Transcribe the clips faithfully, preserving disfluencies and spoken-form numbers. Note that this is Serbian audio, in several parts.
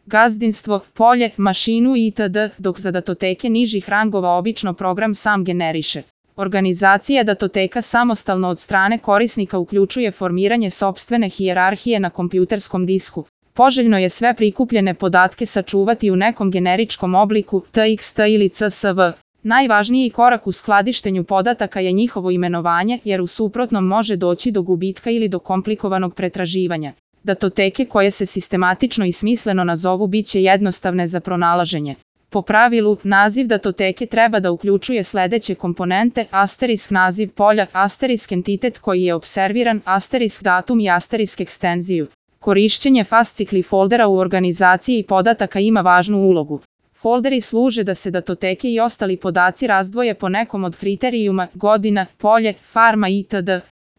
gazdinstvo, polje, mašinu itd., dok za datoteke nižih rangova obično program sam generiše. Organizacija datoteka samostalno od strane korisnika uključuje formiranje sopstvene hijerarhije na kompjuterskom disku. Poželjno je sve prikupljene podatke sačuvati u nekom generičkom obliku, T X T ili C S V. Najvažniji korak u skladištenju podataka je njihovo imenovanje, jer u suprotnom može doći do gubitka ili do komplikovanog pretraživanja. Datoteke koje se sistematično i smisleno nazovu bit će jednostavne za pronalaženje. Po pravilu, naziv datoteke treba da uključuje sledeće komponente: asterisk naziv polja, asterisk entitet koji je observiran, asterisk datum i asterisk ekstenziju. Korišćenje fascikli foldera u organizaciji podataka ima važnu ulogu. Folderi služe da se datoteke i ostali podaci razdvoje po nekom od kriterijuma, godina, polje, farma itd.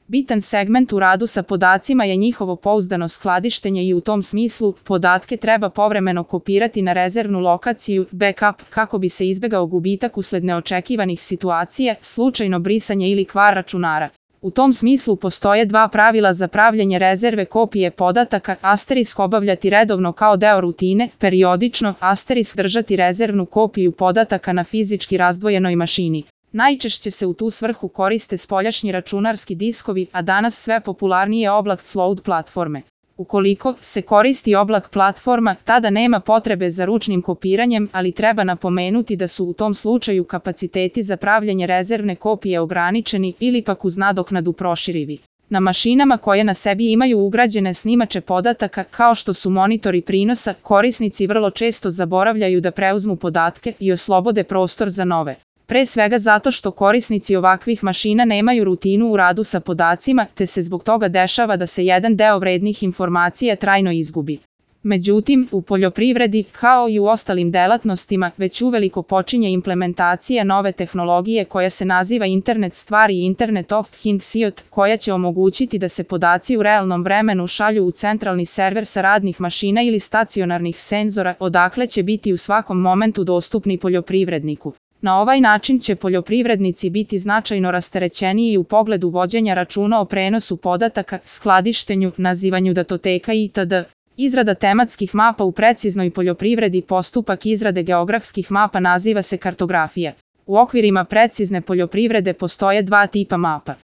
Bitan segment u radu sa podacima je njihovo pouzdano skladištenje i u tom smislu, podatke treba povremeno kopirati na rezervnu lokaciju, backup, kako bi se izbegao gubitak usled neočekivanih situacija, slučajno brisanje ili kvar računara. U tom smislu postoje dva pravila za pravljenje rezerve kopije podataka: asterisk obavljati redovno kao deo rutine, periodično, asterisk držati rezervnu kopiju podataka na fizički razdvojenoj mašini. Najčešće se u tu svrhu koriste spoljašnji računarski diskovi, a danas sve popularnije oblak cloud platforme. Ukoliko se koristi oblak platforma, tada nema potrebe za ručnim kopiranjem, ali treba napomenuti da su u tom slučaju kapaciteti za pravljenje rezervne kopije ograničeni ili pak uz nadoknadu proširivi. Na mašinama koje na sebi imaju ugrađene snimače podataka, kao što su monitori prinosa, korisnici vrlo često zaboravljaju da preuzmu podatke i oslobode prostor za nove. Pre svega zato što korisnici ovakvih mašina nemaju rutinu u radu sa podacima, te se zbog toga dešava da se jedan deo vrednih informacija trajno izgubi. Međutim, u poljoprivredi, kao i u ostalim delatnostima, već uveliko počinje implementacija nove tehnologije koja se naziva Internet stvari i Internet of Things I O T, koja će omogućiti da se podaci u realnom vremenu šalju u centralni server sa radnih mašina ili stacionarnih senzora, odakle će biti u svakom momentu dostupni poljoprivredniku. Na ovaj način će poljoprivrednici biti značajno rasterećeniji u pogledu vođenja računa o prenosu podataka, skladištenju, nazivanju datoteka itd. Izrada tematskih mapa u preciznoj poljoprivredi. Postupak izrade geografskih mapa naziva se kartografija. U okvirima precizne poljoprivrede postoje dva tipa mapa.